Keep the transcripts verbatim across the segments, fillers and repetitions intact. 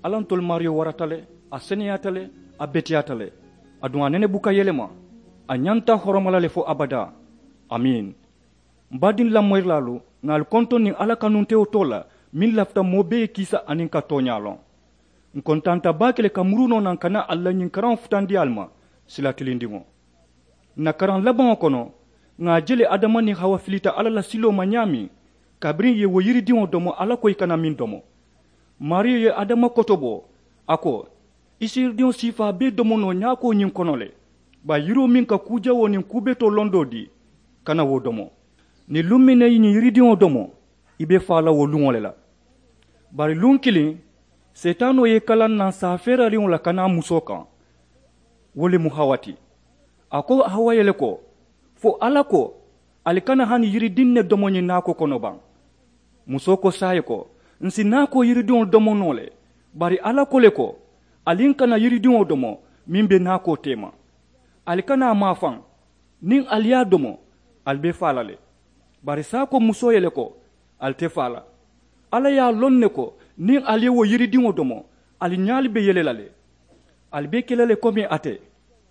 Alla ntolu maariyo warata le, a seneyaata le, a beteyaata le. Aduŋ a nene buka yelema. A ñanta horoma la le fo abadaa. Amiin. M baadiŋ lamoyirilaalu, ŋà ali kontoŋ niŋ alla kanuntewo too la, meŋ lafita moo bee ye kiisa aniŋ ka tooñaa loŋ. N kontaanta baake le ka murunoo naŋ ka naa ali la ñiŋ karaŋo futandi ali ma, sila tilindiŋo. N na karaŋ labaŋo kono, ŋà a je le adama niŋ hawa filita alla la siloo ma ñaameŋ, kabiriŋ ì ye wo yiridiŋo domo alla ko ì kana meŋ domo. Maariyo ye adama kotobo, a ko, i si yiridiŋo siifaa bee domo noo ñaakoo ñiŋ kono le, bari yiroo meŋ ka kuu jawoo niŋ kuu betoo londoo dii, kana wo domo. Niŋ luŋ meŋ na i ye ñiŋ yiridiŋo domo, i be faa la wo luŋo le la. Bari luŋ kiliŋ, seetaanoo ye i kalaŋ naŋ saa feerariŋo la ka naa musoo kaŋ. Wo le mu hawa ti. A ko hawa ye le ko, fo alla ko, ali kana hani yiridiŋ ne domo ñiŋ naakoo kono baŋ? Musoo ko saayiŋ ko, n si naakoo yiridiŋo domo noo le, bari alla ko le ko, ali n kana yiridiŋo domo meŋ be naakoo teema. Ali kana a maafaŋ. Niŋ ali ye a domo, ali be faa la le. Bari saayiŋ ko musoo ye le ko, ali te faa la. Alla ye a loŋ ne ko, niŋ ali ye wo yiridiŋo domo, ali ñaalu be yele la le. Ali be ke la le komi ate,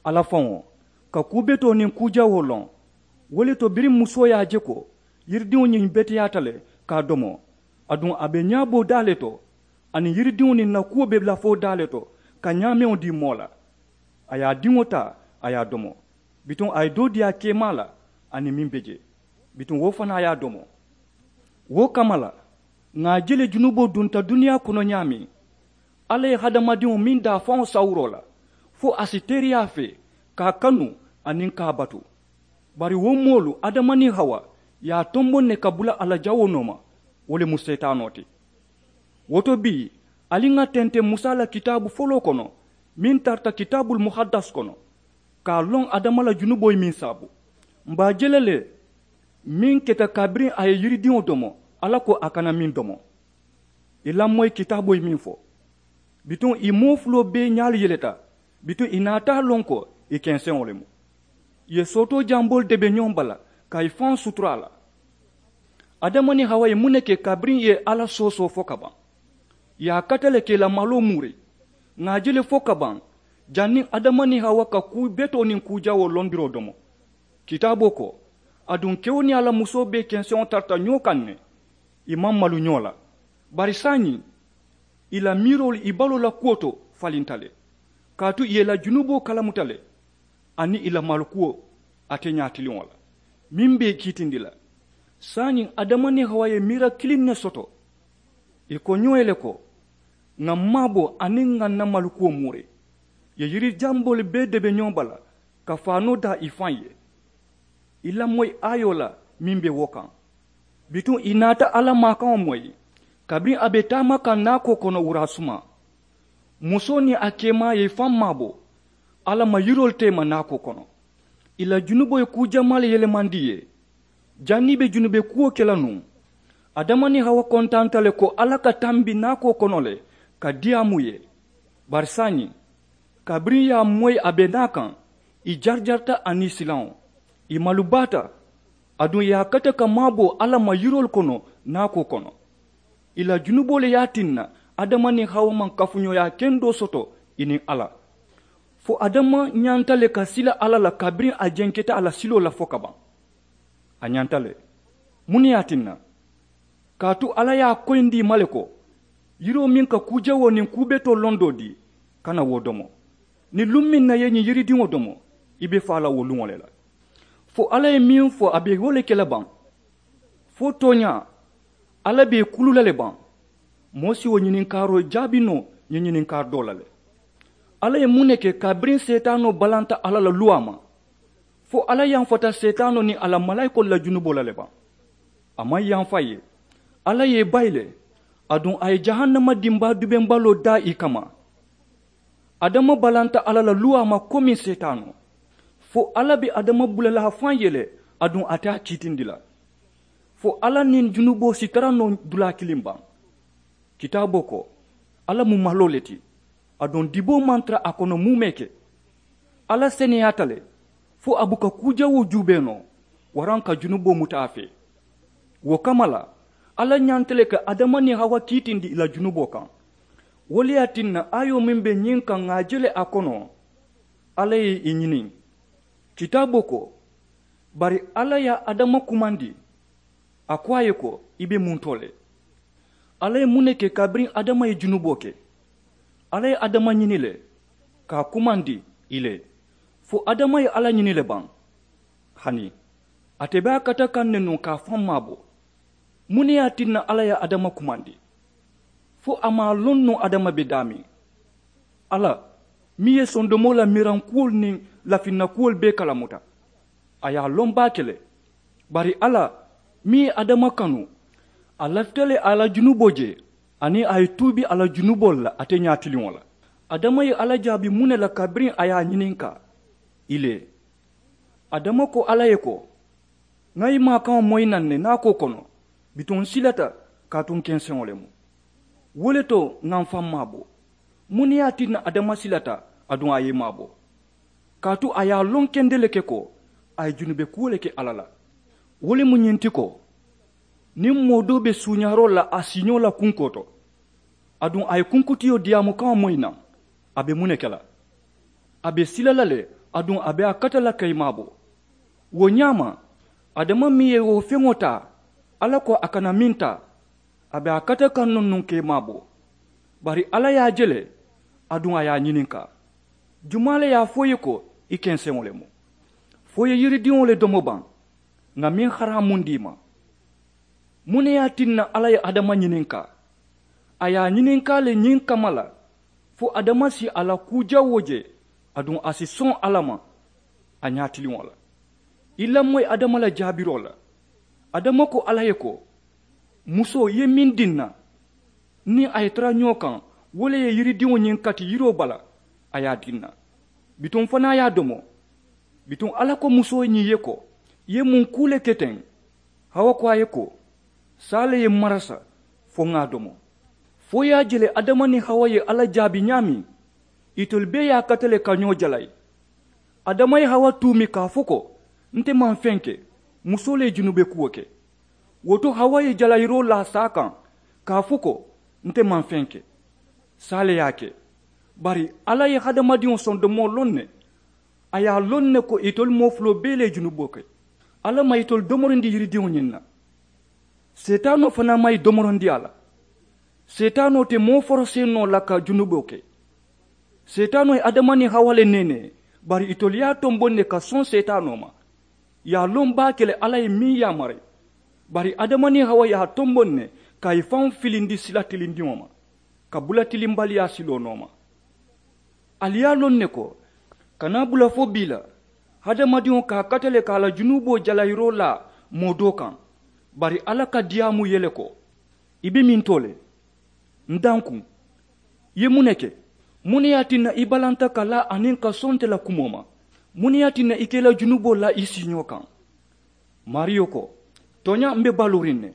alla faŋo, ka kuu betoo niŋ kuu jawoo loŋ. Wo le to biriŋ musoo ye a je ko yiridiŋo ñiŋ beteyaata le ka a domo, aduŋ a be ñaaboo daa le to, aniŋ yiridiŋo niŋ na kuwo be lafoo daa le to, ka ñaameŋo dii moo la. A ye a diŋo taa, a ye a domo. Bituŋ a ye doo dii a keemaa la, aniŋ meŋ be jee. Bituŋ wo fanaa ye a domo. Wo kamma la, ŋà a je le junuboo dunta duniyaa kono ñaameŋ, alla ye hadamadiŋo meŋ daa faŋo sawuroo la, fo a si teeriyaa fee, ka a kanu, aniŋ ka a batu. Bari wo moolu adama niŋ hawa ye a tomboŋ ne ka bula a la jawoo nooma. Wo le mu seetaanoo ti. Wo to bii, ali ŋà tenteŋ musa la kitaabu foloo kono, meŋ tarata kitaabul muhaddas kono, ka a loŋ adama la junuboo ye meŋ saabu. M be a je la le, meŋ keta kabiriŋ a ye yiridiŋo domo, alla ko a kana meŋ domo. I lamoyi kitaaboo ye meŋ fo. Bituŋ ì moo fuloo bee ñaalu yeleta. Bituŋ ì naata a loŋ ko ì kenseŋo le mu. Ì ye sootoo jamboolu debe ñoŋ bala, ka ì faŋo sutura a la. Adama niŋ hawa ye muŋ ne ke kabiriŋ ì ye alla soosoo fo ka baŋ? Ì ye a kata le ka ì la maloo muuri. Ŋà a je le fo ka baŋ, janniŋ adama niŋ hawa ka kuu betoo niŋ kuu jawoo londiroo domo. Kitaaboo ko, aduŋ kewo niŋ a la musoo bee kenseŋo tarata ñoo kaŋ ne, ì maŋ malu ñoo la. Bari saayiŋ, ì la miiroolu ì baloo la kuwo to falinta le, kaatu ì ye ì la junuboo kalamuta le, aniŋ ì la malukuwo ate ñaatiliŋo la, meŋ be ì kiitindi la. Saayiŋ adama niŋ hawa ye miira kiliŋ ne soto. Ì ko ñoo ye le ko, ŋà m maaboo aniŋ ŋà n na malukuwo muuri. Ì ye yiri jamboolu bee debe ñoo bala, ka faanoo daa ì faŋ ye. Ì lamoyi aayoo la meŋ be wo kaŋ. Bituŋ ì naata alla maakaŋo moyi, kabiriŋ a be taama kaŋ naakoo kono wuraasumaa. Musoo niŋ a keemaa ye ì faŋ maabo, alla ma yiroolu teema naakoo kono. Ì la junuboo ye kuu jamaa le yelemandi ì ye. Janniŋ ì be junube kuwo ke la nuŋ, adama niŋ hawa kontaanta le ko alla ka tambi naakoo kono le, ka diyaamu ì ye. Bari saayiŋ, kabiriŋ ì ye a moyi a be naa kaŋ, ì jarijarita aniŋ silaŋo. Ì malubaata. Aduŋ ì ye a kata ka maabo alla ma yiroolu kono naakoo kono. Ì la junuboo le ye a tinna adama niŋ hawa maŋ kafuñooyaa kendoo soto ì niŋ alla. Fo adama ñanta le ka sila alla la kabiriŋ a jenketa a la siloo la fo ka baŋ. A ñanta le. Muŋ ne ye a tinna? Kaatu alla ye a koyindi ì ma le ko, yiroo meŋ ka kuu jawoo niŋ kuu betoo londoo dii, kana wo domo. Niŋ luŋ meŋ na i ye ñiŋ yiridiŋo domo, i be faa la wo luŋo le la. Fo alla ye meŋ fo a be wo le ke la baŋ? Fo tooñaa, alla be ì kulu la le baŋ? Moo si wo ñininkaaroo jaabi noo ñiŋ ñininkaari doo la le. Alla ye muŋ ne ke kabiriŋ seetaanoo balanta alla la luwaa ma? Fo alla yanfata seetaanoo niŋ a la malaayikoolu la junuboo la le baŋ? A maŋ yanfa ì ye. Alla ye ì bayi le, aduŋ a ye jahannama dimbaa dubembaloo daa ì kamma. Adama balanta alla la luwaa ma komiŋ seetaanoo. Fo alla be adama bula la a faŋ ye le, aduŋ a te a kiitindi la. Fo alla niŋ junuboo si tara noo dulaa kiliŋ baŋ? Kitaaboo ko, alla mu maloo le ti. Aduŋ diboo maŋ tara a kono muumee ke. Alla seneyaata le, fo a buka kuu jawoo juubee noo, waraŋ ka junuboo muta a fee. Wo kamma la, alla ñanta le ka adama niŋ hawa kiitindi ì la junuboo kaŋ. Wo le ye a tinna aayoo meŋ be ñiŋ kaŋ ŋà a je le a kono, alla ye i ñiniŋ. Kitaaboo ko, bari alla ye adama kumandi, a ko a ye ko, i be muntoo le? Alla ye muŋ ne ke kabiriŋ adama ye junuboo ke? Alla ye adama ñini le, ka a kumandi i le, fo adama ye alla ñini le baŋ? Hani ate be a kata kaŋ ne nuŋ ka a faŋ maabo. Muŋ ne ye a tinna alla ye adama kumandi? Fo a maŋ a loŋ nuŋ adama be daameŋ. Alla meŋ ye sondomoo la mirankuwolu niŋ lafinna kuwolu bee kalamuta, a ye a loŋ baake le. Bari alla meŋ ye adama kanu, a lafita le a la junuboo je, aniŋ a ye tuubi a la junuboolu la ate ñaatiliŋo la. Adama ye alla jaabi muŋ ne la kabiriŋ a ye a ñininkaa? I le. Adama ko alla ye ko, ŋà i maakaŋo moyi naŋ ne naakoo kono, bituŋ n silata, kaatu n kenseŋo le mu. Wo le to ŋà m faŋ maabo. Muŋ ne ye a tinna adama silata, aduŋ a ye i maabo? Kaatu a ye a loŋ kende le ke ko a ye junube kuwo le ke alla la. Wo le mu ñiŋ ti ko, niŋ moo doo be suuñaaroo la a siiñoo la kunkoo to, aduŋ a ye kunkutiyo diyaamukaŋo moyi naŋ, a be muŋ ne ke la? A be sila la le, aduŋ a be a kata la ka i maabo. Wo ñaama, adama meŋ ye wo feŋo taa, alla ko a kana meŋ taa, a be a kata kaŋ nuŋ nuŋ ka i maabo. Bari alla ye a je le, aduŋ a ye a ñininkaa, jumaa le ye a fo i ye ko i kenseŋo le mu? Fo i ye yiridiŋo le domo baŋ, ŋà meŋ haraamundi i ma? Muŋ ne ye a tinna alla ye adama ñininkaa? A ye a ñininkaa le ñiŋ kamma la, fo adama si a la kuu jawoo je, aduŋ a si soŋ alla ma a ñaatiliŋo la. I lamoyi adama la jaabiroo la. Adama ko alla ye ko, musoo i ye meŋ dii n na, niŋ a ye tara ñoo kaŋ, wo le ye yiridiŋo ñiŋ kati yiroo bala, a ye a dii n na. Bituŋ fanaa ye a domo. Bituŋ alla ko musoo ñiŋ ye ko, i ye muŋ kuu le ke teŋ? Hawa ko a ye ko, saa le ye m marasa, fo ŋà a domo. Fo i ye a je le adama niŋ hawa ye alla jaabi ñaameŋ, itolu bee ye a kata le ka ñoo jalayi. Adama ye hawa tuumi ka a fo ko, nte maŋ feŋ ke. Musoo le ye junube kuwo ke. Wo to hawa ye jalayiroo laa saa kaŋ, ka a fo ko, nte maŋ feŋ ke. Saa le ye a ke. Bari alla ye hadamadiŋo sondomoo loŋ ne. A ye a loŋ ne ko itolu moo fuloo bee le ye junuboo ke. Alla maŋ itolu domorindi yiridiŋo ñiŋ na. Seetaanoo fanaa maŋ i domorindi a la. Seetaanoo te moo forosee noo la ka junuboo ke. Seetaanoo ye adama niŋ hawa le neenee, bari itolu ye a tomboŋ ne ka soŋ seetaanoo ma. I ye a loŋ baake le alla ye meŋ yaamari. Bari adama niŋ hawa ye a tomboŋ ne, ka i faŋo filindi sila tilindiŋo ma, ka bula tilimbaliyaa siloo nooma. Ali ye a loŋ ne ko, kana bula fo bii la, hadamadiŋo ka a kata le ka a la junuboo jalayiroo laa moo doo kaŋ. Bari alla ka diyaamu ye le ko, i be mintoo le? N dankuŋ, i ye muŋ ne ke? Muŋ ne ye a tinna i balanta ka laa aniŋ ka soŋ nte la kumoo ma? Muŋ ne ye a tinna i ka i la junuboo laa i siiñoo kaŋ? Maariyo ko, tooñaa m be baluuriŋ ne.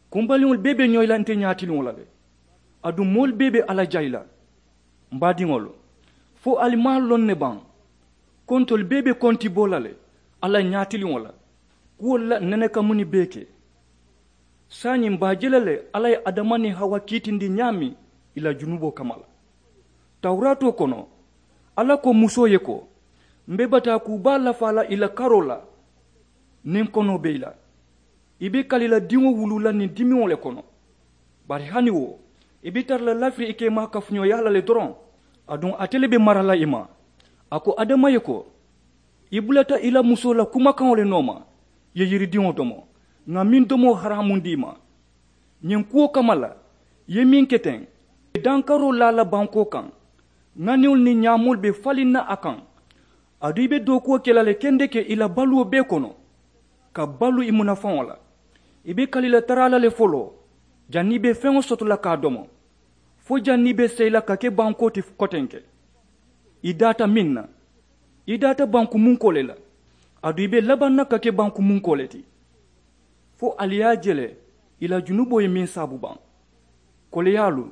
Kumbaliŋolu bee be ñoyi la nte ñaatiliŋo la le. Aduŋ moolu bee be alla jayi la. M baadiŋolu, fo ali maŋ a loŋ ne baŋ, ko ntolu bee be konti bo la le alla ñaatiliŋo la, kuwolu la nene ka muni bee ke? Saayiŋ m be a je la le alla ye adama niŋ hawa kiitindi ñaameŋ i la junuboo kamma la. Tawuraatoo kono, alla ko musoo ye ko, m be bataa kuu baa lafaa la i la karoo la, niŋ konoo be i la. I be kali la diŋo wuluu la niŋ dimiŋo le kono. Bari hani wo, i be tara la lafiri i ke maa kafuñooyaa la le doroŋ. Aduŋ ate le be mara la i ma. A ko adama ye ko, i bulata i la musoo la kumakaŋo le nooma, i ye yiridiŋo domo, ŋà meŋ domoo haraamundi i ma. Ñiŋ kuwo kamma la, i ye meŋ ke teŋ, i be dankaroo laa la bankoo kaŋ, ŋaniwolu niŋ ñaamoolu be faliŋ na a kaŋ. Aduŋ i be dookuwo ke la le kendeke i la baluwo bee kono, ka balu i munafaŋo la. I be kali la taraa la le foloo, janniŋ i be feŋo soto la ka a domo, fo janniŋ i be seyi la ka ke bankoo ti kotenke. I daata meŋ na, i daata banku munkoo le la. Aduŋ i be labaŋ na ka ke banku munkoo le ti. Fo ali ye a je le, i la junuboo ye meŋ saabu baŋ, koleyaalu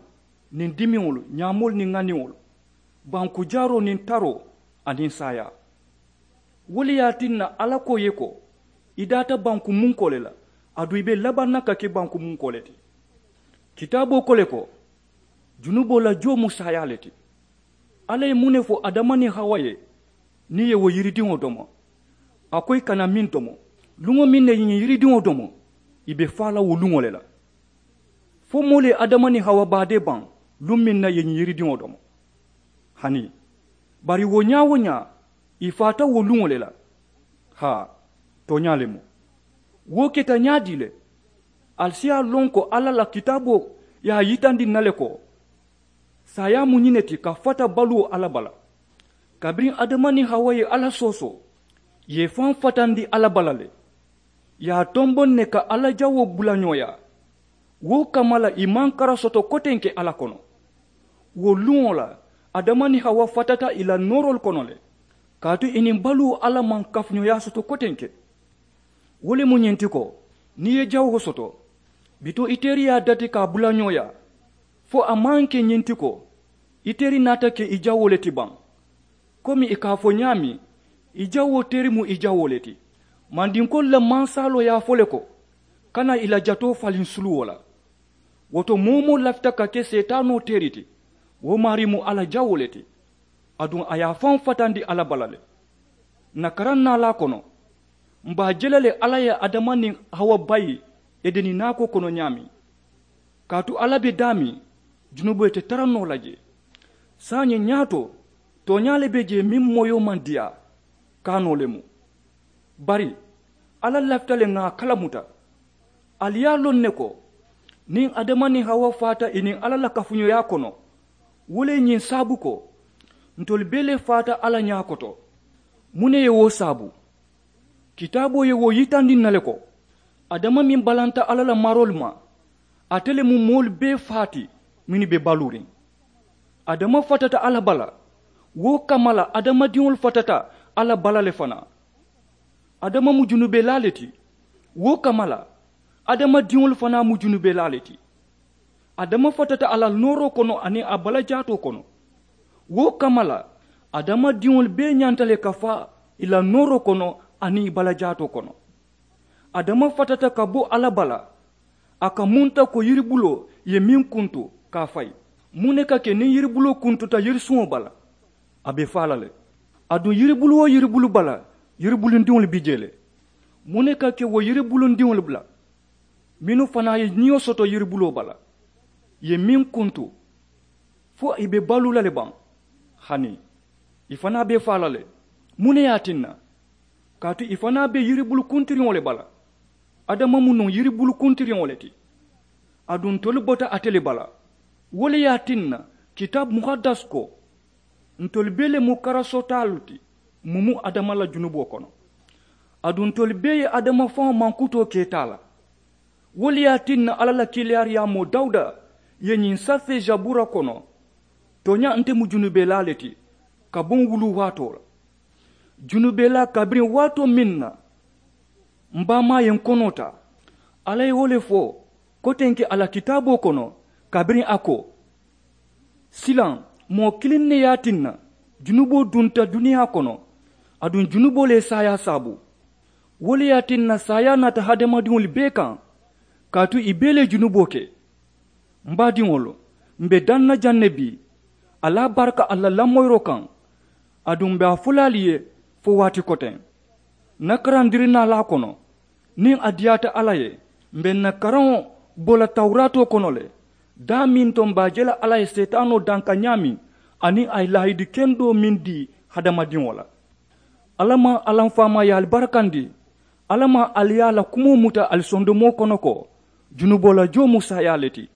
niŋ dimiŋolu, ñaamoolu niŋ ŋaniŋolu, banku jaaroo niŋ taroo, aniŋ saayaa. Wo le ye a tinna alla ko ye ko, i daata banku munkoo le la, aduŋ i be labaŋ na ka ke banku munkoo le ti. Kitaaboo ko le ko, Junuboo la joo mu saayaa le ti. Alla ye muŋ ne fo adama niŋ hawa ye? Niŋ ì ye wo yiridiŋo domo, a ko ì kana meŋ domo. Luŋo meŋ na ì ye ñiŋ yiridiŋo domo, ì be faa la wo luŋo le la. Fo moolu ye adama niŋ hawa baadee baŋ luŋ meŋ na ì ye ñiŋ yiridiŋo domo. Hani bari wo ñaa-wo-ñaa ì faata wo luŋo le la. Haa, tooñaa le mu. Wo keta ñaadii le? Ali si a loŋ ko alla la kitaaboo ye a yitandi ǹ na le ko saayaa mu ñiŋ ne ti ka fata baluwo alla bala. Kabiriŋ adama niŋ hawa ye alla soosoo, ì ye i faŋ fatandi alla bala le. Ì ye a tomboŋ ne ka alla jawoo bula ñooyaa. Wo kamma la ì maŋ kara soto kotenke alla kono. Wo luŋo la adama niŋ hawa fatata ì la nooroolu kono le, kaatu ì niŋ baluwo alla maŋ kafuñooyaa soto kotenke. Wo le mu ñiŋ ti ko, niŋ ì ye jawoo soto, bituŋ i teeri ye a dati ka a bula ñooyaa, fo a maŋ ke ñiŋ ti ko i teeri naata ke i jawoo le ti baŋ. Komi ì ka a fo ñaameŋ, i jawoo teeri mu i jawoo le ti. Mandinkoolu la mansaaloo ye a fo le ko, kana i la jatoo faliŋ suluwo la. Wo to moo-wo-moo lafita ka ke seetaanoo teeri ti, wo maarii mu alla jawoo le ti. Aduŋ a ye a faŋ fatandi alla bala le. Ǹ na karaŋ naalaa kono, m̀ be a je la le alla ye adama niŋ hawa bayi edeni naakoo kono ñaameŋ. Kaatu alla be daameŋ, junuboo te tara noo la jee. Saayiŋ ñaato, tooñaa le be jee meŋ moyoo maŋ diyaa, kaanoo le mu. Bari alla lafita le ŋà a kalamuta. Ali ye a loŋ ne ko, niŋ adama niŋ hawa faata ì niŋ alla la kafuñooyaa kono, wo le ye ñiŋ saabu ko ntolu bee le faata alla ñaa koto. Muŋ ne ye wo saabu? Kitaaboo ye wo yitandi ǹ na le ko, adama meŋ balanta alla la maroolu ma, ate le mu moolu bee faa ti mennu be baluuriŋ. Adama fatata alla bala, wo kamma la adamadiŋolu fatata alla bala le fanaa. Adama mu junubelaa le ti, wo kamma la adamadiŋolu fanaa mu junubelaa le ti. Adama fatata a la nooroo kono aniŋ a balajaatoo kono. Wo kamma la adamadiŋolu bee ñanta le ka faa ì la nooroo kono aniŋ ì balajaatoo kono. Adama fatata ka bo alla bala, a ka munta ko yiribuloo ye meŋ kuntu ka a fayi. Muŋ ne ka ke niŋ yiribuloo kuntuta yirisuŋo bala? A be faa la le. Aduŋ yiribulu-wo-yiribulu bala, yiribulundiŋolu bi jee le. Muŋ ne ka ke wo yiribulundiŋolu bala mennu fanaa ye ñiyo soto yiribuloo bala, ì ye meŋ kuntu, fo ì be baluu la le baŋ? Hani ì fanaa be faa la le. Muŋ ne ye a tinna? Kaatu ì fanaa be yiribulu kuntiriŋo le bala. Adama mu nuŋ yiribulu kuntiriŋo le ti. Aduŋ ntolu bota ate le bala. Wo le ye a tinna kitaabu muhaddas ko, ntolu bee le mu karasotaalu ti mumu adama la junuboo kono. Aduŋ ntolu bee ye adama faŋo mankutoo ke taa la. Wo le ye a tinna alla la kiilaariyaamoo dawuda ye ñiŋ safee zabuura kono, tooñaa nte mu junubelaa le ti ka boŋ wuluu waatoo la. Junubelaa kabiriŋ waatoo meŋ na m̀ baamaa ye ǹ konoo taa. Alla ye wo le fo kotenke a la kitaaboo kono, kabiriŋ a ko, silaŋ moo kiliŋ ne ye a tinna junuboo dunta duniyaa kono. Aduŋ junuboo le ye saayaa saabu. Wo le ye a tinna saayaa naata hadamadiŋolu bee kaŋ, kaatu ì bee le ye junuboo ke. M̀ baadiŋolu, m̀ be daŋ na jaŋ ne bii, ali a baraka ali la lamoyiroo kaŋ. Aduŋ m̀ be a fo la ali ye fo waati koteŋ, ǹ na karandirinaalaa kono, niŋ a diyaata alla ye, m̀ be ǹ na karaŋo bo la tawuraatoo kono le, daameŋ to m̀ be a je la alla ye seetaanoo danka ñaameŋ, aniŋ a ye laahidi kendoo meŋ dii hadamadiŋo la. Alla maŋ alla m̀ faamaa ye ali barakandi. Alla maŋ ali ye a la kumoo muta ali sondomoo kono ko, junuboo la joo mu saayaa le ti.